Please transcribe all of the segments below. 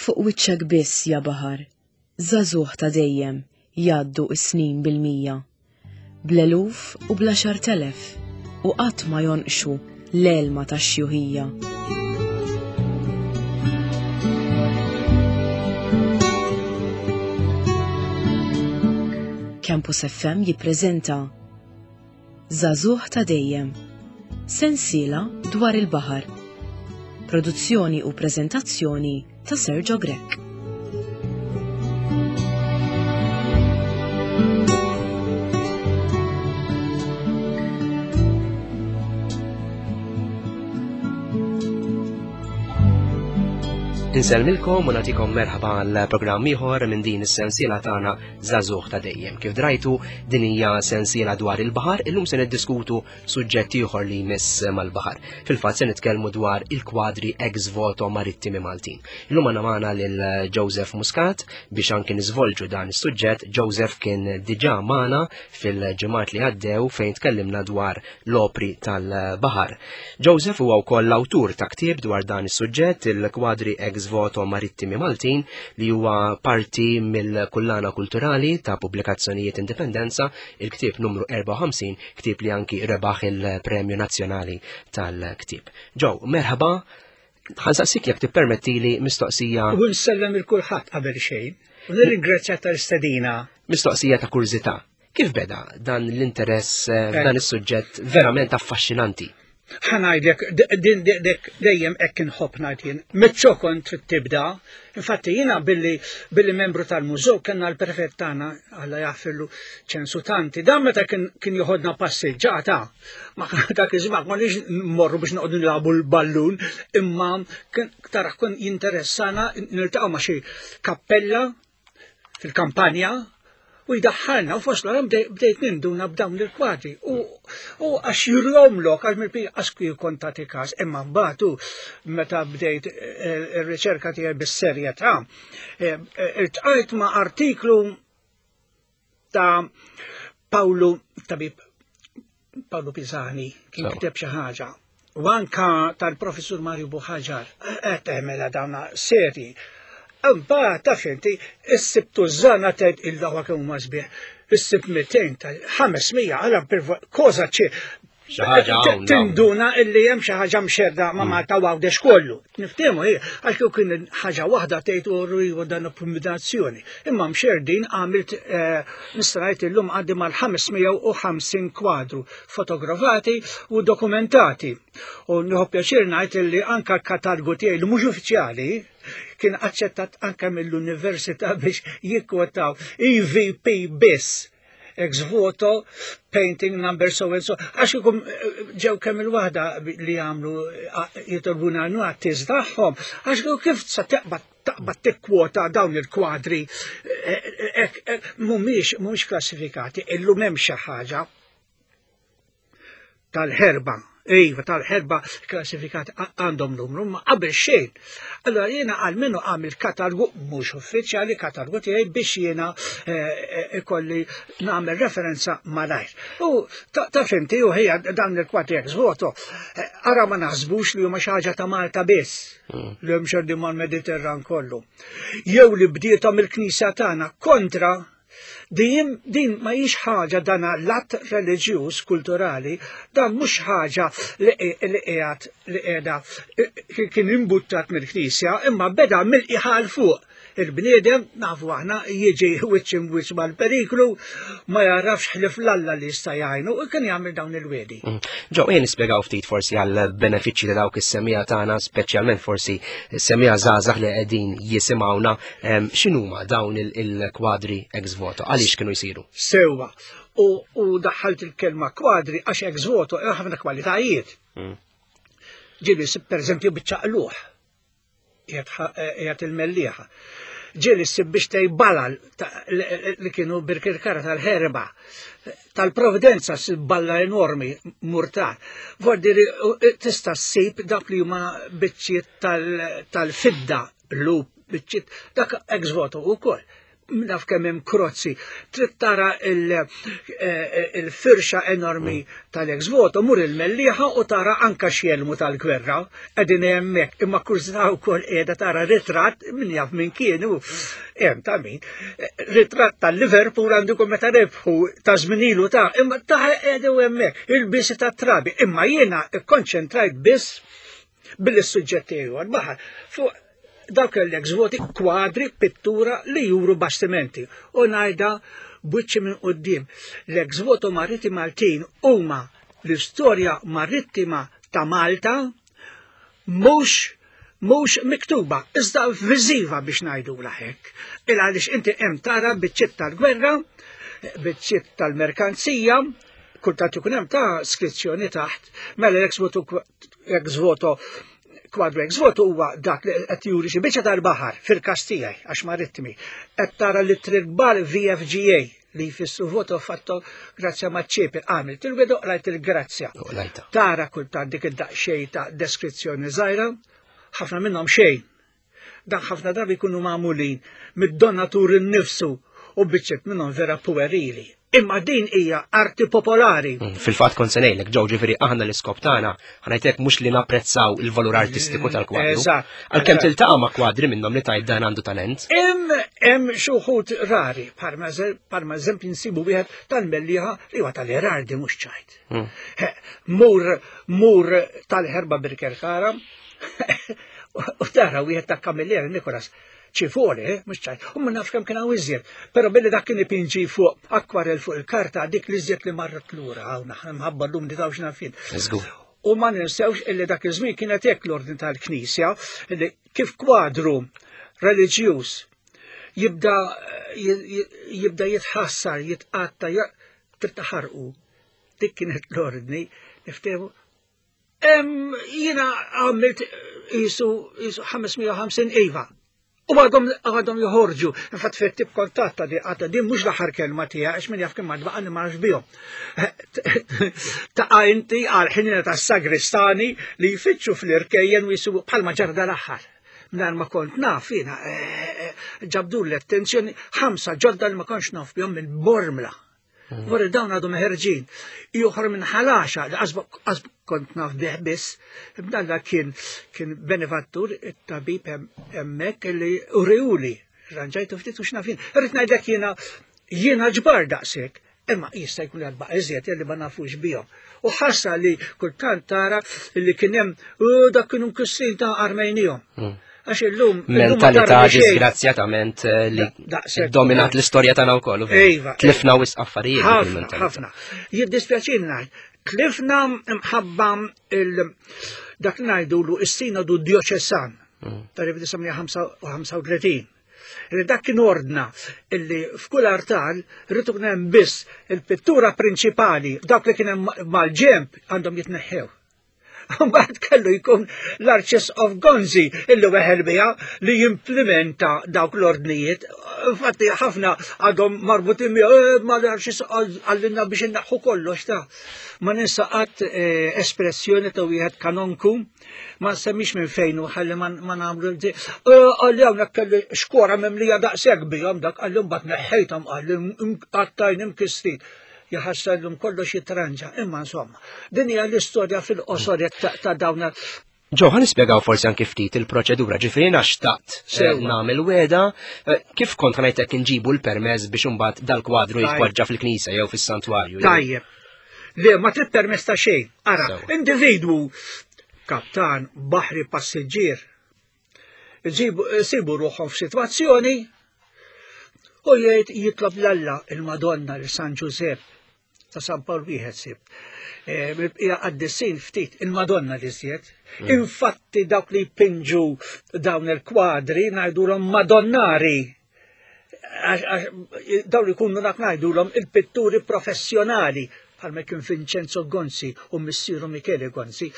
Fuq wiċċek biss ja baħar, żagħżugħ ta' dejjem jgħaddu s-snin bil-mija. Bl-eluf u bl-għaxartelef u qatt ma jonqxu l-għelma tax-xjuħija. Campus FM jippreżenta Żagħżugħ ta' dejjem. Sensiela dwar il-baħar. Produzzjoni u preżentazzjoni ta' Sergio Grech. Insellmilkom u nagħtikom merħba għal programm ieħor minn din is-sensiela tagħna Żagħżugħ ta' dejjem. Kif drajtu din hija sensiela dwar il-baħar, illum se niddiskutu suġġett ieħor li jmiss mal-baħar. Fil-fatt se nitkellmu dwar il-kwadri ex voto marittimi Maltin. Illum għandna magħna lil Joseph Muscat biex anki niżvolġu dan is-suġġett. Joseph kien diġà magħna fil-ġimgħat li għaddew fejn tkellimna dwar l-opri tal-baħar. Joseph huwa wkoll l-awtur ta' ktieb dwar dan is-suġġett, il-kwadri ex voto marittimi Maltin, li huwa parti mill-kullana kulturali ta' pubblikazzjonijiet Indipendenza, il-ktieb numru 54, ktieb li anki rebaħ il-Premju Nazzjonali tal-Ktieb. Joe, merħba, ħansaqsik jekk tippermettili mistoqsija. U nsellem il kulħadd qabel xejn. U nirringrazzja tal-istedina. Mistoqsija ta' kurżità. Kif beda dan l-interess eh, f'dan eh. is-suġġett verament affaxxinanti? Ħanajdlek, din dek dejjem hekk inħobb ngħid jien. Miċ-ċokon trid tibda. Infatti jiena billi billi membru tal-mużew kellna l-prefett tagħna Alla jaħfirlu ċensu tanti. Dan meta kien kien joħodna passiġġata, ma dak iż-żmien ma nix nmorru biex noqogħdu nilagħbu l-ballun, imma kien tara kien jinteressana niltaqgħu ma' xi kappella fil-kampanja u jdaħħalna u fost l bdejt ninduna b'dawn il-kwadri u għax jurjomlok għax mill għax kien kontati każ imma mbagħad meta bdejt eh, ir-riċerka tiegħi bis-serjetà eh, eh, iltqajt ma' artiklu ta' Pawlu tabib Pawlu Pisani kien kiteb xi ħaġa. U anka tal-professur Mario Buħaġar qed tagħmel dawna seri. Imbagħad taf inti issib tużana tgħid il-dawa kemm huma sbieħ. Issib 200 tal-500 għala koza ċi Tinduna illi hemm xi ħaġa mxerda ma' mm. Malta Għawdex kollu. Niftehmu hi, għax kieku kien ħaġa waħda tgħid u rridu dan kombinazzjoni. Imma mxerdin għamilt eh, nista' ngħid illum għandi mal-550 kwadru fotografati u dokumentati. U nieħu pjaċir ngħid illi anka l-katalgu tiegħi li mhux uffiċjali kien aċċettat anke mill-università biex jikkwotaw EVP biss ex voto, painting number so and so, għax ikum eh, ġew kemm il-waħda li għamlu eh, jitolbuna għanu għattiż tagħhom, għax kif sa taqbad taqbad tikkwota dawn il-kwadri eh, mhumiex mhumiex klassifikati, illum hemm xi ħaġa tal-ħerba, iva tal-ħerba klassifikati għandhom numru, ma qabel xejn. Allora jiena għalmenu għamil katalgu mhux uffiċjali, katalgu tiegħi biex jiena eh, eh, ikolli nagħmel referenza malajr. U ta' fimti u ħija dan il-kwati ex voto, eh, ara ma naħsbux li huma xi ħaġa ta' Malta biss mm. li hemm xordi mal-Mediterran kollu. Jew li bdietom il-Knisja tagħna kontra Din, din ma hix ħaġa dan l-att reliġjuż kulturali, dan mhux ħaġa li qiegħed li qiegħda kien imbuttat mill-Knisja, imma beda mill-qiegħa fuq. Il-bniedem nafu aħna jiġi wiċċ imwiċċ mal-periklu, ma jarafx ħlif l-Alla li jista' jgħinu u kien jagħmel dawn il-wiedi. Mm. Ġew, jien nispjegaw ftit forsi għal benefiċċji ta' dawk is-semija tagħna, speċjalment forsi semija żgħażagħ li qegħdin jisimgħuna X'inhuma dawn il-kwadri ex voto? Għaliex kienu jsiru? Sewwa. U daħħalt il-kelma kwadri għax ex voto hemm ħafna kwalitajiet. Mm. Ġieli per eżempju biċċa qluħ qiegħed il-mellieħa. Ġieli ssib biex tej balal li kienu birkirkara tal-ħerba tal-providenza ssib balla enormi murtar. Vordi tista' ssib dak li huma biċċiet tal-fidda lup biċċiet dak ex voto wkoll. naf kemm hemm krozzi, trid tara eh, il-firxa enormi tal-ex voto, mur il-Mellieħa u tara anka x'jelmu tal-gwerra qegħdin hemmhekk, imma kurżità wkoll qiegħda tara ritratt min jaf min kienu hemm ta' min. Ritratt tal-Liverpool għandu jkun meta rebħu ta' żmien ilu ta' imma ta' qiegħdu hemmhekk il-bisi tat-trabi, imma jiena kkonċentrajt biss billi s-suġġett tiegħi huwa l-baħar fuq dawk l-ex voti kwadri, pittura li juru bastimenti. U ngħidha b'wiċċi minn quddiem. L-ex voto maritti Maltin huma l-istorja marittima ta' Malta mhux mhux miktuba, iżda viżiva biex ngħidu hekk. Il għaliex inti hemm tara biċċiet tal-gwerra, biċċiet tal-merkanzija, kultant ikun hemm ta' skrizzjoni taħt, mela l-ex voto ex voto kwadru ex voto huwa dak li qed juri xi biċċa tal-baħar fil-każ tiegħi għax marittimi. Qed tara li kbar VFGA li jfissru voto fatto grazzja maċ-ċiepi għamilt il-widu rajt il-grazzja. Tara kultant dik id-daqsxejn ta' deskrizzjoni żgħira, ħafna minnhom xejn. Dan ħafna drabi jkunu magħmulin mid-donatur innifsu u biċċiet minnhom vera puerili. Imma din hija arti popolari. Mm, fil-fatt kont se ngħidlek ġew ġifieri aħna l-iskop tagħna ħanajtek mhux li napprezzaw il-valur artistiku tal-kwadru. Eżatt. Għalkemm tiltaqa' ma' kwadri minnhom li tajt dan għandu talent. Hemm hemm xi wħud rari, bħalma eżempju nsibu wieħed tal-Mellieħa li huwa tal-Erardi mhux ċajt. Mm. Mur mur tal-ħerba Birkerkara u tara wieħed ta' Kamillieri Nikolas ċifoli, eh, mhux ċajt, u ma nafx kemm kien hawn iżjed. Però billi dak kien ipinġi fuq akwarel fuq il-karta dik li iżjed li marret lura hawn aħna mħabba llum li tawx nafin. U ma ninsewx illi dak iż-żmien kienet hekk l-ordni tal-Knisja li kif kwadru reliġjuż jibda jibda jitħassar, jitqatta, trid taħarqu. Dik kienet l-ordni, niftehmu Jiena għamilt jisu 550 iva. U għadhom għadhom joħorġu. Infatti fejn tib kontatta di għadha din mhux l-aħħar kelma tiegħi għax min jaf kemm għad baqa' ma nafx bihom. Taqa' inti għal ħinina tas-sagristani li jfittxu fl-irkejjen u jisibu bħalma ġara dal-aħħar. Mingħajr ma kont naf jiena eh, eh, ġabdu l-attenzjoni ħamsa ġodda li ma kontx naf bihom mill-Bormla. Wara dawn għadhom ħerġin. Ieħor minn ħalaxa li qasb kont naf bih biss, b'dalla kien kien benefattur it-tabib hemmhekk li uriuli ranġajtu ftit u x'nafin. Irrid ngħidlek jiena jiena ġbar daqshekk, imma jista' jkun li għadba iżjed li ma nafux bihom. U ħassa li kultant tara li kien hemm dak kienu mkissin ta' armejnihom. Mm. Għax illum. Mentalità disgrazzjatament eh, li dominat l-istorja tagħna wkoll. Iva. Tlifna wisq affarijiet. Ħafna, ħafna. Jiddispjaċini ngħid, tlifna mħabba il dak li ngħidulu is-sinodu dioċesan mm. tal-1935. Li dak kien ordna illi f'kull artal rritu kien hemm biss il-pittura prinċipali dawk li kien hemm mal-ġemp għandhom jitneħħew. Mbagħad kellu jkun l-Arċisqof Gonzi illi weħel biha li jimplementa dawk l-ordnijiet. Infatti ħafna għadhom marbutin miegħu eh, ma l-Arċisqof għallinna biex inneħħu kollox ta' ma ninsa qatt eh, espressjoni ta' wieħed kanonku ma nsemmix minn fejn u ħalli ma nagħmlu eh, Għalli hawnhekk kelli xkora mimlija daqshekk bihom dak għalli mbagħad neħħejthom għalli qattajn imkistin jaħassallum kollox jitranġa, imma insomma, din hija l-istorja fil-qosor ta' dawn Ġo, ħan nispjegaw forsi anki ftit il-proċedura, ġifieri jiena xtaqt eh, nagħmel weda, eh, kif kont ħanajtek inġibu l-permess biex imbagħad dal-kwadru jitpoġġa fil-knisja jew fis-santwarju. Tajjeb. Le, ma trid permess ta' xejn. Ara, individwu kaptan, baħri, passiġġier, Sibu ruħhom f'sitwazzjoni u jgħid jitlob l-Alla il-Madonna l San Ġużepp ta' San Pawl wieħed sib. Eh, mill-bqija qaddisin ftit il-Madonna li żjed. Mm. Infatti dawk li jpinġu dawn il-kwadri ngħidulhom Madonnari. Dawn li jkunu dak ngħidulhom il-pitturi professjonali bħalma kien Vincenzo Gonzi u missieru Michele Gonzi.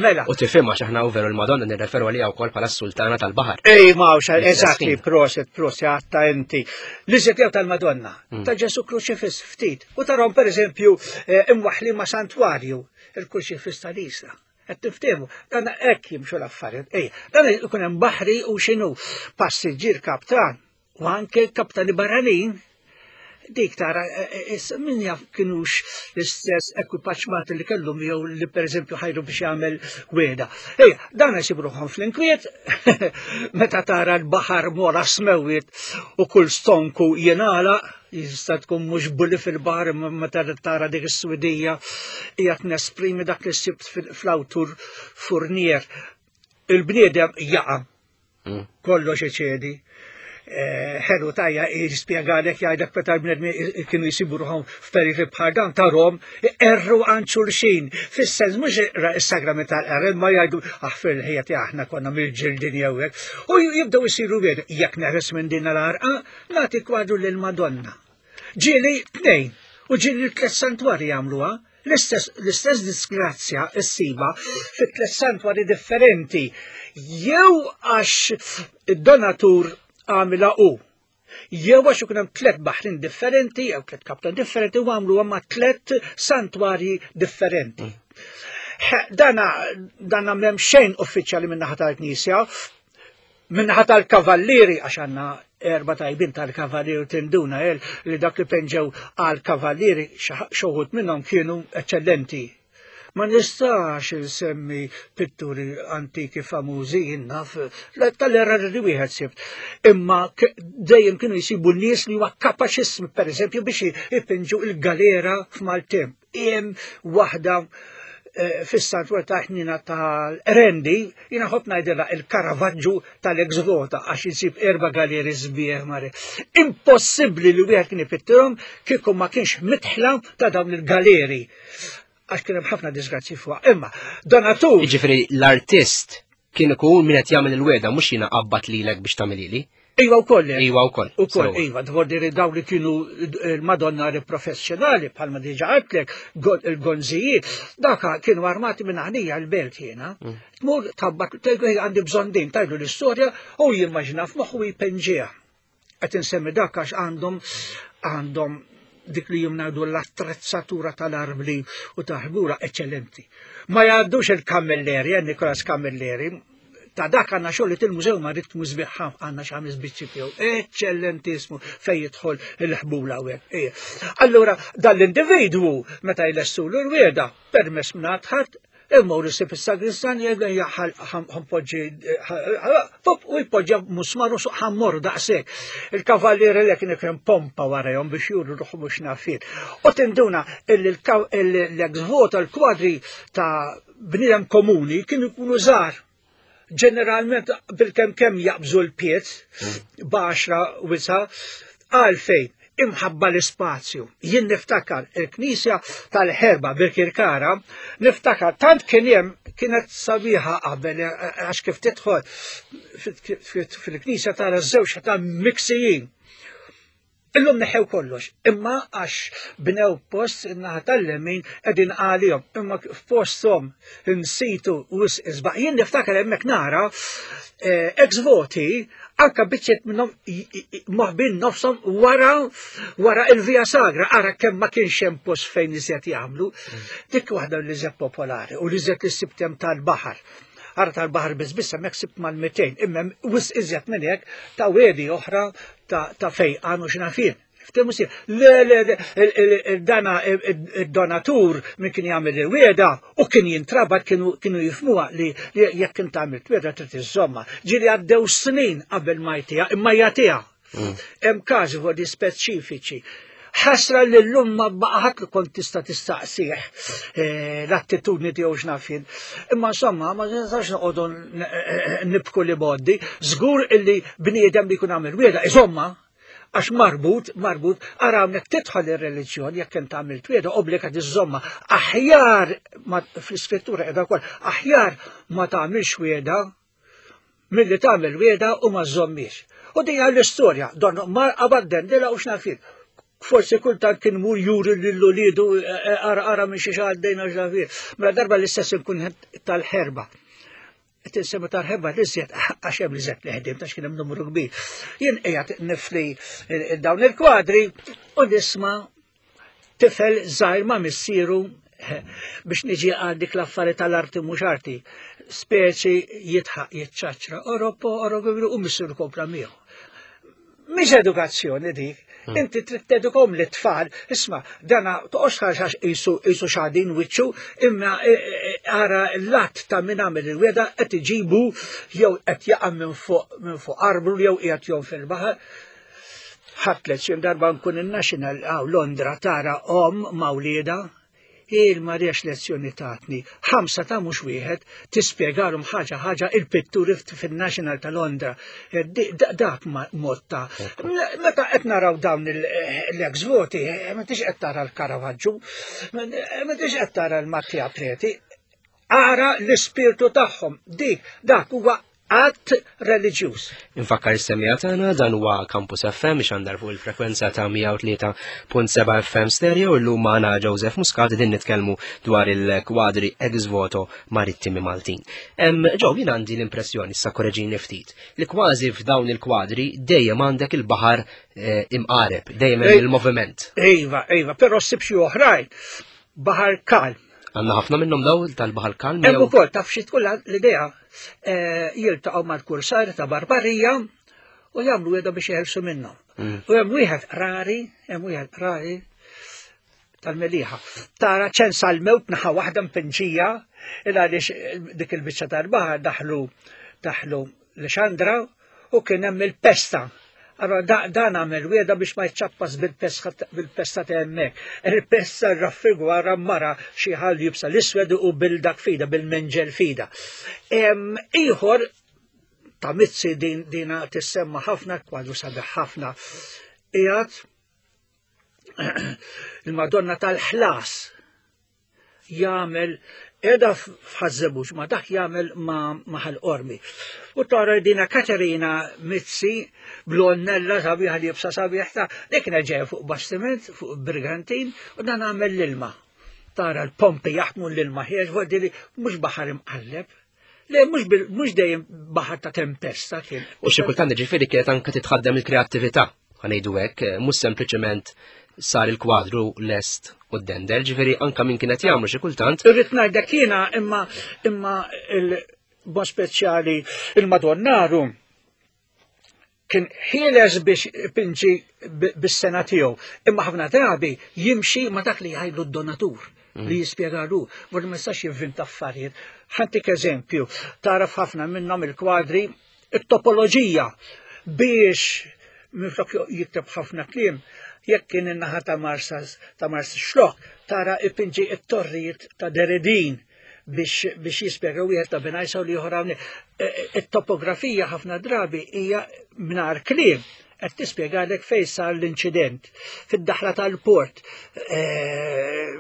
Mela. U tifhem għax aħna veru l-Madonna nirreferu għaliha wkoll bħala s-sultana tal-baħar. Ej, ma eżattli, proset, proset, għatta inti. L-iżjed jew tal-Madonna, mm. ta' Ġesu Kruċifiss ftit. U tarhom pereżempju eh, imwaħli ma' santwarju il-Kruċifiss tal-Isla. Qed tiftehmu, dan hekk jimxu l-affarijiet. Ej, dan ikun hemm baħri u x'inhu passiġġier kaptan. U anke kaptani barranin, dik tara eh, eh, min jaf kienux l-istess ekwipaġġ Malti li kellhom jew li pereżempju ħajru biex jagħmel wieda. Ej, dan jsibruhom fl-inkwiet meta tara l-baħar mora smewwiet u kull stonku jingħalaq jista' tkun mhux bulli fil-baħar imma meta tara dik is-swidija qiegħed nesprimi dak li sibt fl-awtur Fournier. Il-bniedem jaqa' hmm. Kollox iċedi. Eh, ħelu tajja jispjegalek jgħidlek meta l-bnedmi kienu jsibu ruħhom f'perikli bħal dan tarhom erru għand xulxin. Fis-sens mhux is-sagrament tal-qerr imma jgħidu aħfir l-ħija tiegħek aħna konna mill-ġildin jew hekk. U jibdew isiru wieħed jekk neħres minn din l-għarqa nagħti kwadru lil Madonna. Ġieli tnejn u ġieli tliet santwarji jagħmluha. L-istess l-istess disgrazzja ssiba fi tliet santwarji differenti jew għax id-donatur għamilha hu jew għax ikun hemm tliet baħrin differenti jew tliet kaptan differenti u għamluha ma' tliet santwarji differenti. Dana dana m'hemm xejn uffiċjali min-naħa tal-Knisja, Minnaħa tal-kavallieri, għax għanna erba tajbin tal-kavallieri u tinduna el li dak li penġew għal kavallieri xoħut minnhom kienu eccellenti. Ma nistax insemmi pitturi antiki famużi jinnaf, tal-erra li wieħed sibt. Imma dejjem kienu jsibu nies li huwa kapaċissimi pereżempju biex ipinġu il-galera f'Maltemp. Hemm waħda eh, fis-santwar ta' ħnina tal-Rendi, jina ħobb ngħidilha il-Caravaggio tal-ex vota għax insib erba' galeri sbieħ mare. Impossibbli li wieħed kien ipittirhom kieku ma kienx mitħla ta' dawn il-galeri għax kien hemm ħafna disgrazzi fuq. Imma donatur. Jiġifieri l-artist kien ikun min qed jagħmel il-weda mhux jiena qabbat lilek biex tagħmilili. Iva wkoll. Iva wkoll. Ukoll, iva, dvordi daw li kienu il-Madonna professjonali bħalma diġa għedtlek, il-gonzijiet, daka kienu armati minn għanija l-belt jiena. Mm. Tmur tabbat, tgħidu għandi bżonn din, tajdu l-istorja u jimmaġina f'moħħu jpenġiha. Qed insemmi dak għax għandhom għandhom dik li jimnadu l-attrezzatura tal-arbli u tal-ħbura eccellenti. Ma jgħaddux il-Camilleri, eh, Nikolas Camilleri, ta' dak għanna xogħol li til-mużew ma ritmu sbiħ għanna xi biċċi tiegħu. Eċċellentissimu fejn jidħol il-ħbula u hekk. Allura dan l-individwu meta jlessulu l-wieda permess minn ħadd Immur isib is-sagristan jgħidlu ħanpoġġi u jpoġġa musmar u suq ħammur daqshekk. Il-kavallieri li kien ikun pompa warajhom biex juru ruħu mhux nafin. U tinduna l-ex voto l-kwadri ta' bniedem komuni kienu jkunu żgħar. Ġeneralment bil-kemm kemm jaqbżu l-piet mm. baxra wisa għalfejn imħabba l-ispazju. Jien niftakar il-knisja tal-ħerba Birkirkara, niftakar tant kien hemm kienet sabiħa qabel għax kif tidħol fil-knisja tara żewġ ta' miksijin. Illum neħew kollox, imma għax bnew post in-naħa tal-lemin qegħdin għalihom, imma f'posthom insitu wisq isbaħ. Jien niftakar hemmhekk nara eh, ex voti anka biċċiet minnhom moħbin nofshom wara wara il-Via Sagra, ara kemm ma kienx hemm post fejn iżjed jagħmlu. Dik waħda li iżjed popolari u li iżjed li sibtem tal-baħar. Ara tal-baħar biss biss hemmhekk sibt mal-200, imma wisq iżjed minn hekk ta' wedi oħra ta' fejqan u x'nafien. Ftehmu si, le, le, dana il-donatur min kien jagħmel il-wieda u kien jintrabat kienu jifmuha li jekk kien tagħmel wieda trid iżomma. Ġieli għaddew snin qabel ma jtiha, imma jagħtiha. Mm. Hemm każi vodi speċifiċi. Ħasra li llum ma baqa' ħadd li kont tista' tistaqsih eh, l-attitudni tiegħu x'naf jien. Imma insomma ma nistax noqogħdu eh, nibku li boddi, żgur illi bniedem li jkun għamel wieda, iżomma, għax marbut, marbut, ara hawnhekk tidħol ir-reliġjon jekk int għamilt wieda obbligat iżomma. Aħjar fl-iskrittura qiegħda wkoll, aħjar ma tagħmilx wieda milli tagħmel wieda u ma żommiex. U din l-istorja, don mar qabad dendela u x'naf Forsi kultant kien mur juri lil ulidu eh, eh, ara ara minn xi għaddejna x'naf Mela darba l-istess inkun tal-ħerba. Qed insemmi tal-ħerba l-iżjed għax hemm l-iżjed li ħdim ta' kien hemm numru kbir. Jien qiegħed nifli eh, dawn il-kwadri u nisma' tifel żgħir ma' missieru biex niġi għal dik l-affari tal-arti mhux arti, speċi jitħaq jitċaċra, oropo, oropo, u missieru kompla miegħu. Mhix edukazzjoni dik. Inti trid tedukom li tfal, isma' dana toqgħodx tħares għax qisu qisu xadin wiċċu, imma e, e, e, ara l-att ta' min għamel il-weda qed iġibu jew qed jaqa' minn fuq minn fuq arblu jew qiegħed jom fil-baħar. Ħadd lezzjon darba nkun in-National għaw Londra tara om ma' wliedha Il-Marija x'lezzjoni tatni. Ħamsa ta' mhux wieħed, tispjegalhom ħaġa ħaġa il-pitturi fin-National ta' Londra. Eh, dak mod ta' Meta qed naraw dawn l-ex voti, eh, ma tix qed tara l-Caravaggio, ma tix qed tara l-Mattia Preti, ara l-ispirtu tagħhom. Dik dak huwa att reliġjuż. Infakkar is-semija tagħna dan huwa Campus FM ixandar fuq il-frekwenza ta' 103.7 FM stereo illum magħna Joseph Muscat din nitkellmu dwar il-kwadri ex voto marittimi Maltin. Ġew jien għandi l-impressjoni issa korreġini ftit li kważi f'dawn il-kwadri dejjem għandek il-baħar eh, imqareb, dejjem hemm il-moviment. Iva, iva, però ssib xi oħrajn baħar kalm. Għandna ħafna minnhom daw tal-baħar kalm. Hemm ukoll taf xi tkun l-idea eh, jiltaqgħu mal-kursar ta' Barbarija u jagħmlu weda biex jeħelsu minnhom. U hemm wieħed rari, hemm wieħed rari tal-meliħa. Tara ċens għal-mewt naħa waħda mpinġija, il għaliex eh, dik il-biċċa tal-baħar daħlu daħlu l-xandra u kien hemm il-pesta. Allora dan għamel wieda biex ma jċappas bil-pesta ta' hemmhekk. Il-pesta raffigwara mara xi ħal jibsa l-iswed u bil-dak fida, bil-menġel fida. Ieħor ta' Mizzi din dina tissemma ħafna, kwadru sabiħ ħafna. Qiegħed il-Madonna tal-ħlas jagħmel qiegħda f'Ħaż-Żebbuġ ma dak jagħmel ma' Ħal-Qormi. U tara dina Katerina Mizzi blonnella sabiħa li jibsa sabiħ ta' dik kienet ġejja fuq bastiment, fuq brigantin, u dan għamel l-ilma. Tara l-pompi jaħdmu l-ilma ħieġ, li mhux baħar imqalleb. Le, mhux dejjem baħar ta' tempesta kien. U xi kultant ġifieri kienet anke titħaddem il-kreattività, ħanejdu hekk, eh, mhux sempliċement sar il-kwadru lest u d-dendel, ġifieri anka min kienet jagħmlu xi kultant. Irrid ngħidlek jiena imma imma il-bon speċjali il-Madonnaru kien ħieles biex ipinġi bis-sena tiegħu, imma ħafna drabi jimxi ma dak li jgħidlu d-donatur mm. li jispjegalu, vorri ma jistax jivvinta affarijiet. Ħantik eżempju, taraf ħafna minnhom il-kwadri, it-topoloġija biex minflok jikteb ħafna kliem, jekk kien in-naħa ta' Marsas ta' Mars Xlok, tara ipinġi it-torrijiet ta' Deredin biex, biex jispjega wieħed ta' Benajsa u l-ieħor hawnhekk. E, e, it-topografija ħafna drabi hija mingħajr kliem qed tispjegalek fejn sar l-inċident. Fid-daħla tal-port, e,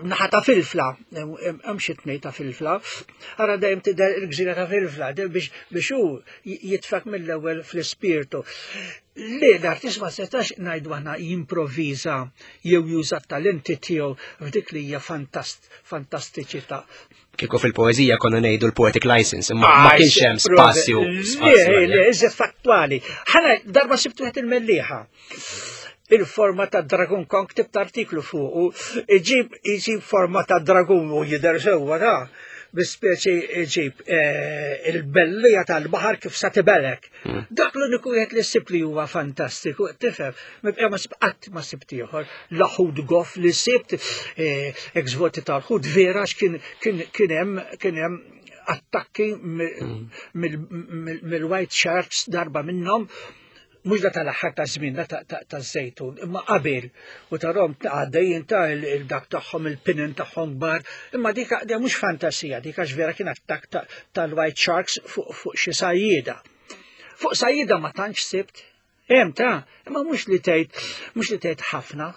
naħa ta' filfla, hemm xi tnej ta' filfla, ara dejjem tidher il-gżira ta' filfla biex biex hu jitfak mill-ewwel fl-ispirtu. Li l-artist ma setax ngħidu aħna jimprovviża jew juża t-talenti tiegħu f'dik li hija fantast fantastiċità. Kieku fil-poeżija konna ngħidu l-poetic license, imma ma ah, kienx hemm spazju. Le, le, iżjed fattwali. Ħana darba sibtu wieħed il-mellieħa. Il-forma ta' Dragon Kong tibt artiklu fuq, iġib iġib forma ta' dragun u jidher sewwa ta' bi speċi iġib eh, il-bellija tal-baħar kif sa tibelek. Dak l-uniku wieħed li ssib li huwa fantastiku, tifhem, mibqa' ma qatt ma sibt ieħor, laħud goff li sibt eh, ex-voti tal-ħud vera kien kien hemm kien hemm attakki hmm. mill-White Sharks darba minnhom mhux da tal-aħħar ta' żmien da ta' żejtun, imma qabel u tarhom għaddejjin ta' il-dak tagħhom il-pinin tagħhom kbar, imma dik mhux fantasija, dik għax vera kien attakk tal-White Sharks fuq xi sajjieda. Fuq sajjieda ma tantx sibt, hemm ta' imma mhux li tgħid mhux li tgħid ħafna.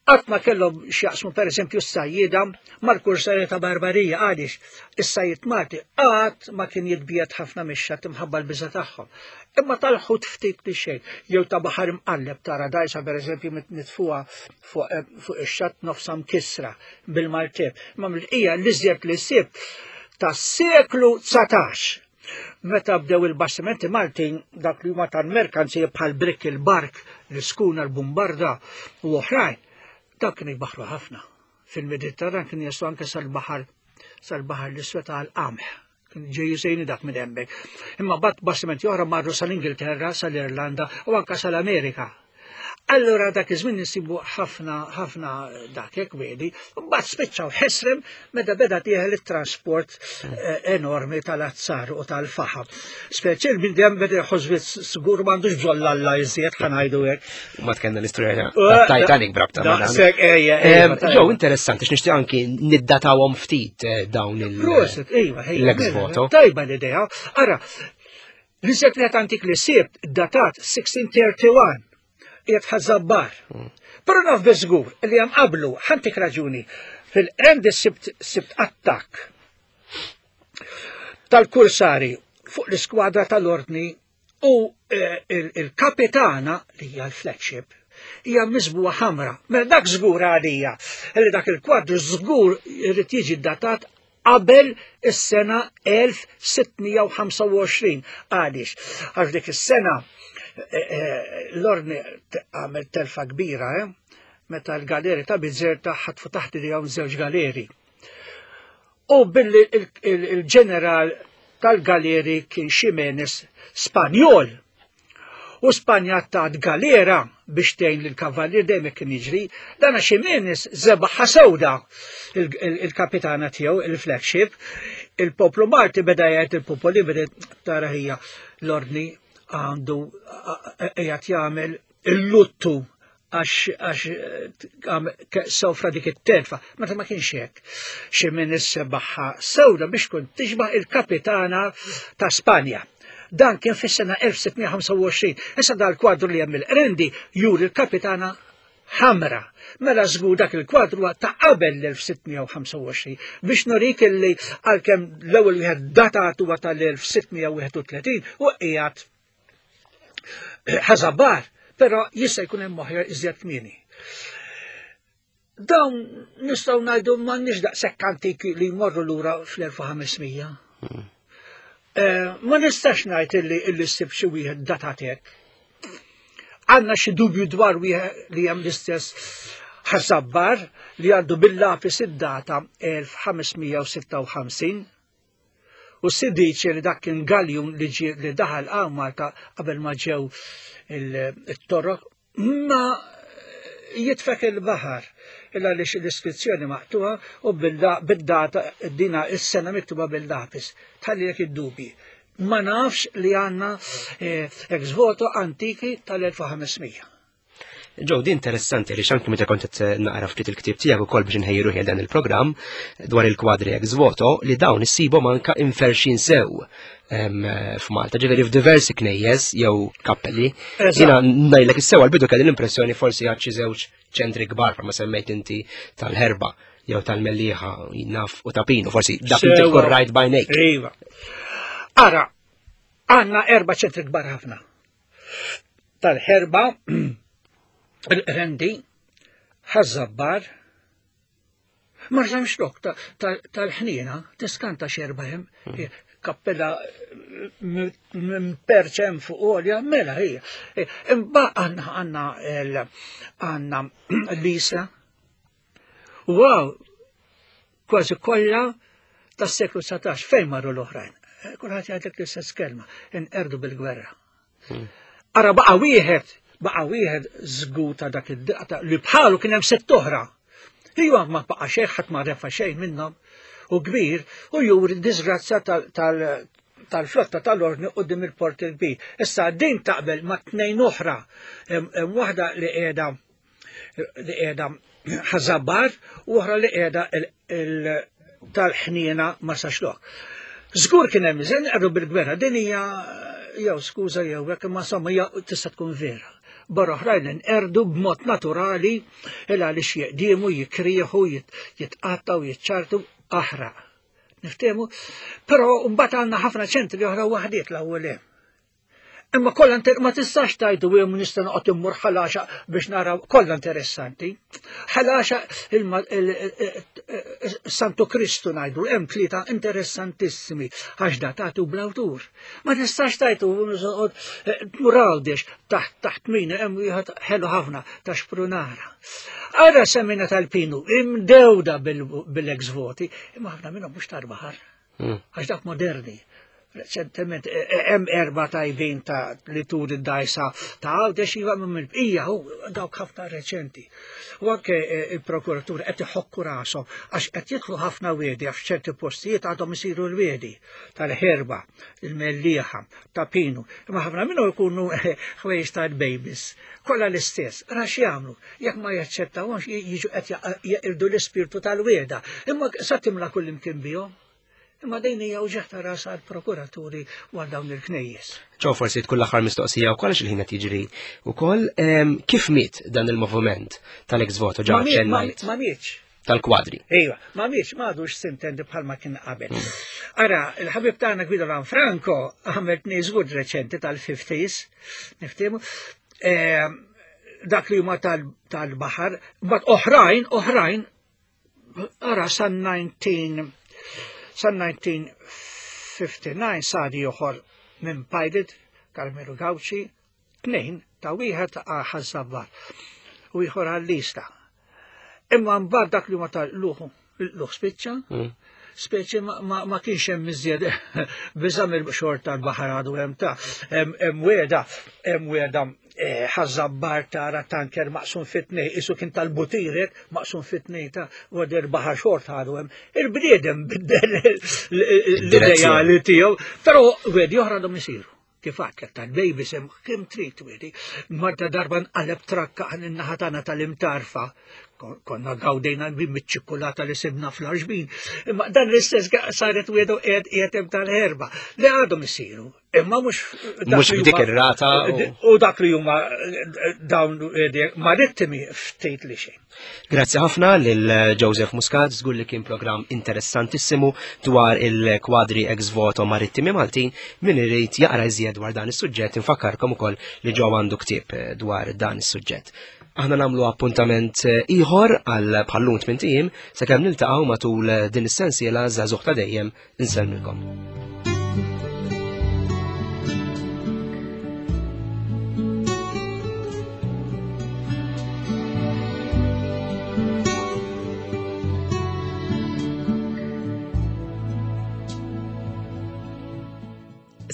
Qatt ma kellhom x'jaqsmu pereżempju s-sajjieda mal-kursarja ta' Barbarija għaliex is-sajjied Malti qatt ma kien jitbiegħed ħafna mix-xatt imħabba l-biża' tagħhom. Imma tal-ħut ftit li xejn, jew ta' baħar imqalleb tara dgħajsa pereżempju mitfuha fuq eh, fuq ix-xatt nofsha mkissra bil-maltep. Imma mill-bqija l-iżjed li sibt tas-seklu 19 Meta bdew il-bastimenti Maltin dak li huma tal-merkanzija bħal brik il-bark, l-iskuna, l-bumbarda u oħrajn, dak kienu jbaħru ħafna. Fil-Mediterran kienu jaslu anke sal-baħar sal-baħar l-iswed għal qamħ. Kien ġej jisejni dak minn hemmhekk. Imma bat bastimenti oħra marru sal-Ingilterra, sal-Irlanda u anka sal-Amerika. Allura dak iż-żmien insibu ħafna ħafna dak hekk wiedi, mbagħad spiċċaw ħesrem meta beda tieħel it-trasport eh, enormi tal-azzar u tal-faħam. Speċi il-bniedem beda jħoss żgur m'għandux bżonn l-alla iżjed ħanajdu hekk. Ma tkenna l-istorja eh, Titanic brabta ma' dan. Ġew interessanti x'nixtieq anki niddatawhom ftit eh, dawn il- Proset, iva, l-ex voto. Tajba l-idea. Ara, L-iżjed wieħed antik li sibt datat 1631 qiegħed ħażabbar. Hmm. Però naf biżgur li hemm qablu ħantik raġuni fil-qrendi sibt sibt attakk tal-kursari fuq l-iskwadra tal-ordni u eh, il-kapitana li hija l-flagship hija miżbuha ħamra. Mela dak żgur għalija li dak il-kwadru żgur irid jiġi datat qabel is-sena 1625. Għaliex? Għax dik is-sena eh, eh, l-ordni għamel telfa kbira, eh? meta l-galeri ta' Bizerta ħatfu taħt idejhom żewġ galeri. U billi il-ġeneral tal-galeri kien Ximenes Spanjol, U Spanja tat galera biex tgħin lil kavallier dejjem hekk kien jiġri. Dan għax Jimenez żebaħha sewda il-kapitana tiegħu il-flagship. Il-poplu Malti beda jgħid il-popoli beda tara hija l-ordni għandu qiegħed jagħmel il-luttu għax sofra dik it-telfa, meta ma kienx hekk. Xi minn is-sebaħħa sewda biex tkun tixbaħ il-kapitana ta' Spanja. Dan kien fis-sena 1625. Issa dal-kwadru li hemm il-qrendi juri l-kapitana ħamra. Mela żgur dak il-kwadru ta' qabel l-1625 biex nurik illi għalkemm l-ewwel wieħed datat huwa tal-1631 u qiegħed ħażabar, però jista' jkun hemm oħra iżjed kmieni. Dawn nistgħu ngħidu m'għandniex daqshekk antiki li jmorru lura fl-1500. Hmm. Eh, ma nistax ngħid illi illi ssib xi wieħed datat hekk. Għandna xi dubju dwar wieħed li hemm l-istess ħasabbar li għandu bil-lapis id-data 1556 U s-sidiċi li dak kien galjun li ġie li daħal għaw Malta qabel ma ġew il-torok ma jitfek il-baħar illa li l-iskrizzjoni maqtuha u bil-data dina is-sena miktuba bil-lapis. Tħalli jek id-dubi. Ma nafx li għanna eh, ex voto antiki tal-1500. Ġew di interessanti li xanki meta kont qed naqra ftit il-ktieb tiegħek ukoll biex inħejju ruħi dan il-programm dwar il-kwadri ex voto li dawn issibhom anka inferxin sew f'Malta, ġifieri f'diversi knejjes jew kappelli. Jiena ngħidlek is-sew għall-bidu kelli l-impressjoni forsi għad xi żewġ ċentri kbar ma semmejt inti tal-ħerba jew tal-mellieħa naf u tapinu, forsi dak inti tkun rajt bajnejk. Iva. Ara, għandna erba' ċentri kbar ħafna. Tal-ħerba, il-qrendi, ħaż-żabbar, ma rżamx lok tal-ħniena, tiskanta xerba hemm, hmm. kappella minn perċem fuq għolja, mela hija. Imba għanna għanna għanna l-isla. Wow, kważi kollha tas-seklu 19 fejn marru l-oħrajn. Eh, kulħadd jgħidlek l-istess kelma, inqerdu bil-gwerra. Hmm. Ara baqa' wieħed, baqa' wieħed żgur ta' dak id-daqta li bħalu kien hemm sitt oħra. Iva ma baqa' xejn ħadd ma refa' xejn minnhom u kbir u juri d-disgrazzja tal-flotta tal-ordni qudiem il-port il-kbir. Issa din taqbel ma' tnejn oħra, hemm waħda li qiegħda li qiegħda ħażabar u oħra li qiegħda tal-ħniena ma saxlok. Żgur kien hemm iżen qerru bil-gwerra din hija jew skuża jew hekk imma insomma hija tista' tkun vera. Barra oħrajn inqerdu b'mod naturali il għaliex jeqdiemu, jikrieħu, jitqattaw, jiċċartu aħraq. Niftehmu? Però mbagħad għandna ħafna ċentri oħra waħdiet l-ewwel hemm. Imma kollha ma tistax tgħidu hemm nista' noqgħod immur ħalaxa biex naraw kollha interessanti. Ħalaxa Santu Kristu ngħidu hemm tlieta interessantissimi għax datati u bl-awtur. Ma tistax tgħidu eh, tmur għawdex taħt taħt min hemm wieħed ħelu ħafna ta' xprunara. Ara semina tal-pinu imdewda bil-ex voti, imma ħafna minnhom mhux tal-baħar. Għax dak moderni. Reċentement e, e, hemm erba' tajbin ta' li tur id-dajsa ta' Għawdex iva minn il-bqija u dawk ħafna reċenti. U anke e, il-prokuratur qed iħokku rashom għax qed jidħlu ħafna wiedi għax f'ċerti postijiet għadhom isiru l-wiedi tal-ħerba, il-mellieħa, ta' pinu. Imma ħafna minnhom ikunu ħwejjeġ tal-babies. Kollha l-istess, ra x'jagħmlu, jekk ma jaċċettawhomx jiġu qed jeqirdu l-ispirtu tal-wieda. Imma sa timla kullimkien bihom. Imma din hija uġigħ ta' ras għall-prokuraturi u għal dawn il-knejjes. Ċo forsi tkun l-aħħar mistoqsija wkoll għax il-ħin qed jiġri wkoll kif miet dan il-moviment tal-ex voto ġa ċennajt? Ma mietx. Tal-kwadri. Iva, ma mietx, ma għadux sintendi bħalma kien qabel. Ara, il-ħabib tagħna Guido Lanfranco għamel tniżgud reċenti tal-50s, niftehmu, dak li huma tal-baħar, bat oħrajn, oħrajn Ara san 19 san 1959 sar ieħor minn pilot Carmelo Gauci, tnejn ta' wieħed ħaż-Żabbar u ieħor għall-lista. Imma mbagħad dak li ma tal-luħu l-luħ spiċċa, mm. speċi ma, ma kienx hemm iżjed biża' mill-xorta tal-baħar għadu hemm ta' hemm weda hemm weda Eh, ħażabbar tara tanker maqsum fit-tnej, isu kien tal-butirek maqsum fit-tnej ta' għadir baħar xort għadu hemm. Il-bniedem biddel l-ideali tiegħu, però wedi oħra għadhom isiru. Kif għadtlek tal-baby sem kemm trid wedi. Marta darba nqaleb trakka għan in-naħa tagħna tal-imtarfa. Konna gawdejna miċ-ċikkulata li sibna fl-arġbin. Imma dan l-istess saret wedu qiegħed qiegħed tal-erba. Li għadhom isiru. Imma mhux mhux b'dik ir-rata. U dak li huma dawn marittimi ftit li xejn. Grazzi ħafna lil Joseph Muscat, żgur li kien programm interessantissimu dwar il-kwadri ex voto marittimi Maltin min irid jaqra iżjed dwar dan is-suġġett infakkarkom ukoll li ġew għandu ktieb dwar dan is-suġġett. Aħna nagħmlu appuntament eh, ieħor għal bħallum tmint ijiem sakemm niltaqgħu matul din is-sensiela żagħżugħ ta' dejjem Insellmilkom.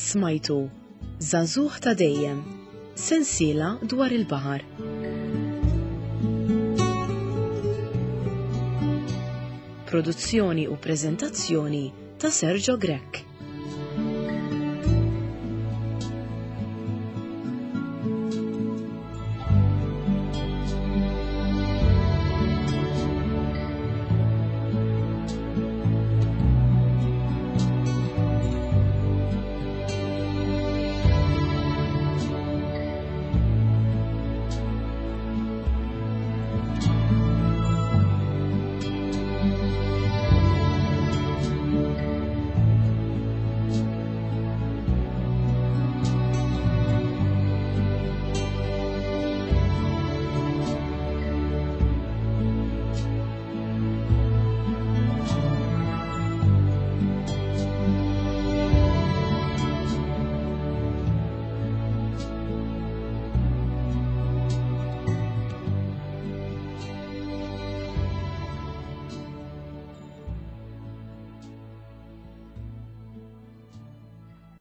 Smajtu Żagħżugħ ta' dejjem, sensiela dwar il-baħar. Produzzjoni u preżentazzjoni ta' Sergio Grech.